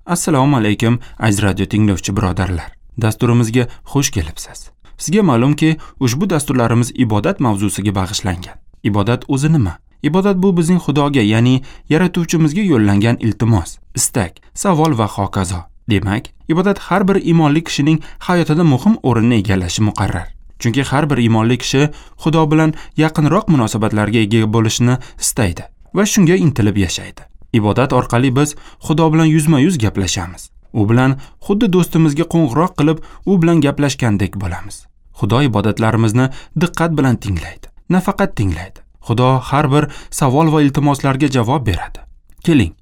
Assalomu alaykum, aziz radio tinglovchi birodarlar. Dasturimizga xush kelibsiz. Sizga ma'lumki, ushbu dasturlarimiz ibodat mavzusiga bag'ishlangan. Ibodat o'zi nima? Ibodat bu bizning Xudoga, ya'ni yaratuvchimizga yo'llangan iltimos, istak, savol va hokazo. Demak, ibodat har bir iymonli kishining hayotida muhim o'rinni egallashi muqarrar. Chunki har bir iymonli kishi Xudo bilan yaqinroq munosabatlarga ega bo'lishni istaydi va shunga intilib yashaydi. Ibodat orqali biz Xudo bilan yuzma-yuz gaplashamiz. U bilan xuddi do'stimizga qo'ng'iroq qilib, u bilan gaplashgandek bo'lamiz. Xudo ibodatlarimizni diqqat bilan tinglaydi. Nafaqat tinglaydi. Xudo har bir savol va iltimoslarga javob beradi. Keling,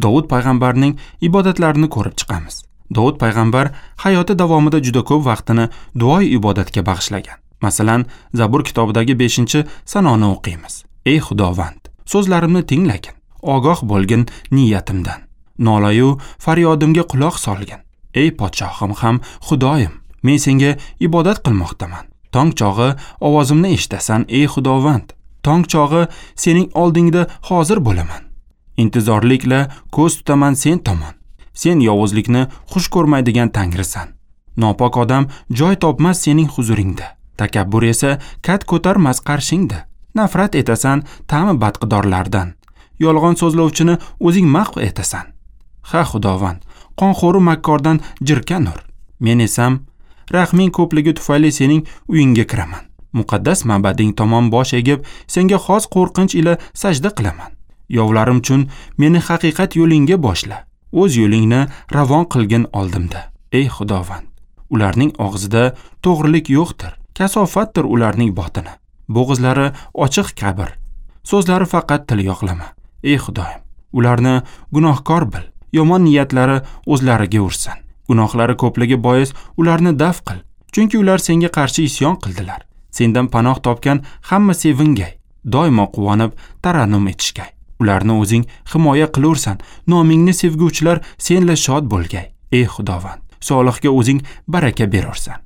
Dovud payg'ambarning ibodatlarini ko'rib chiqamiz. Dovud payg'ambar hayoti davomida juda ko'p vaqtini duo ibodatga bag'ishlagan. Masalan, Zabur kitobidagi 5-sanoni o'qiymiz. Ey Xudovand, so'zlarimni tinglagin, ogoh bo'lgin niyatimdan. Nolayu faryodimga quloq solgin. Ey podshohim ham Xudoyim, men senga ibodat qilmoqdaman. Tong chog'i ovozimni eshitasan, ey Xudovand. Tong chog'i sening oldingda hozir bo'laman. Intizorlikla ko'z tutaman sen tomon. Sen yovuzlikni xush ko'rmaydigan Tangrisan. Nopok odam joy topmas sening huzuringda. Takabbur esa kat ko'tarmas qarshingda. Nafrat etasan ta'mi badqidorlardan. Yolg'on so'zlovchini o'zing mahv etasan. Ha Xudovand, qonxo'ru makkordan jirkanur. Men esam rahming ko'pligi tufayli sening uyingga kiraman. Muqaddas ma'bading tomon bosh egib, senga xos qo'rqinch ila sajda qilaman. Yovlarim uchun meni haqiqat yo'lingga boshla. O'z yo'lingni ravon qilgin oldimda. Ey Xudovand, ularning og'zida to'g'rilik yo'qdir. Kasofatdir ularning botini. Bo'g'izlari ochiq qabr. So'zlari faqat til yoqlama. Ey Xudoyim, ularni gunohkor bil. Yomon niyatlari o'zlariga ursin. Gunohlari ko'pligi bois ularni daf qil. Chunki ular senga qarshi isyon qildilar. Sendan panoh topgan hamma sevingay, doimo quvonib tarannum etishgay. Ularni o'zing himoya qilursan, nomingni sevguvchilar senla shod bo'lgay. Ey Xudovand, solihga o'zing baraka berursan.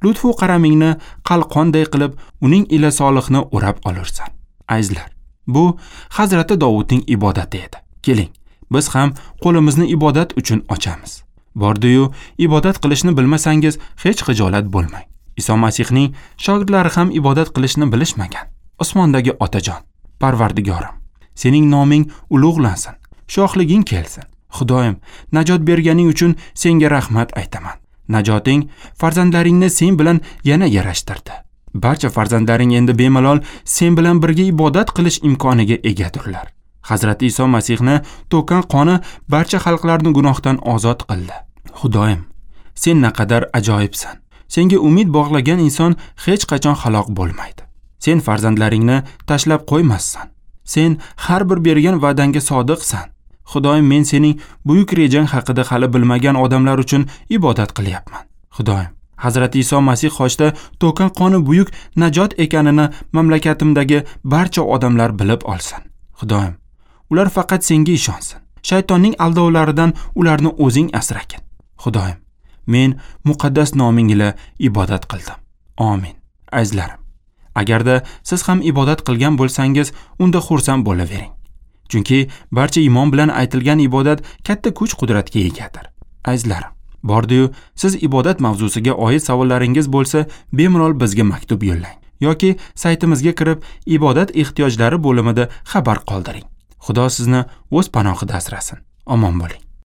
Lutfu qaramingni qalqonday qilib, uning ila solihni o'rab olursan. Azizlar, bu Hazrati Dovudning ibodati edi. Keling, biz ham qo'limizni ibodat uchun ochamiz. Bordi-yu, ibodat qilishni bilmasangiz hech xijolat bo'lmang. Iso Masihning shogirdlari ham ibodat qilishni bilishmagan. Osmondagi Otajon, Parvardigorim, sening noming ulug'lansin, shohliging kelsin. Xudoyim, najot berganing uchun senga rahmat aytaman. Najoting farzandlaringni sen bilan yana yarashtirdi. Barcha farzandlaring endi bemalol sen bilan birga ibodat qilish imkoniga egadurlar. Hazrati Iso Masihni to'kkan qoni barcha xalqlarni gunohdan ozod qildi. Xudoyim, sen naqadar ajoyibsan. Senga umid bog'lagan inson hech qachon halok bo'lmaydi. Sen farzandlaringni tashlab qo'ymassan. Sen har bir bergan va'dangga sodiqsan. Xudoyim, men sening buyuk rejang haqida hali bilmagan odamlar uchun ibodat qilyapman. Xudoyim, Hazrati Iso Masih xochda to'kkan qoni buyuk najot ekanini mamlakatimdagi barcha odamlar bilib olsin. Xudoyim, ular faqat senga ishonsin. Shaytonning aldovlaridan ularni o'zing asragin. Xudoyim, men muqaddas noming ila ibodat qildim. Amin. Azizlarim, agarda siz ham ibodat qilgan bo'lsangiz, unda xursand bo'lavering. Chunki barcha iymon bilan aytilgan ibodat katta kuch-qudratga egadir. Azizlarim, bordi-yu siz ibodat mavzusiga oid savollaringiz bo'lsa, bemalol bizga maktub yo'llang yoki saytimizga kirib, ibodat ehtiyojlari bo'limida xabar qoldiring. Xudo sizni o'z panohida asrasin. Omon bo'ling.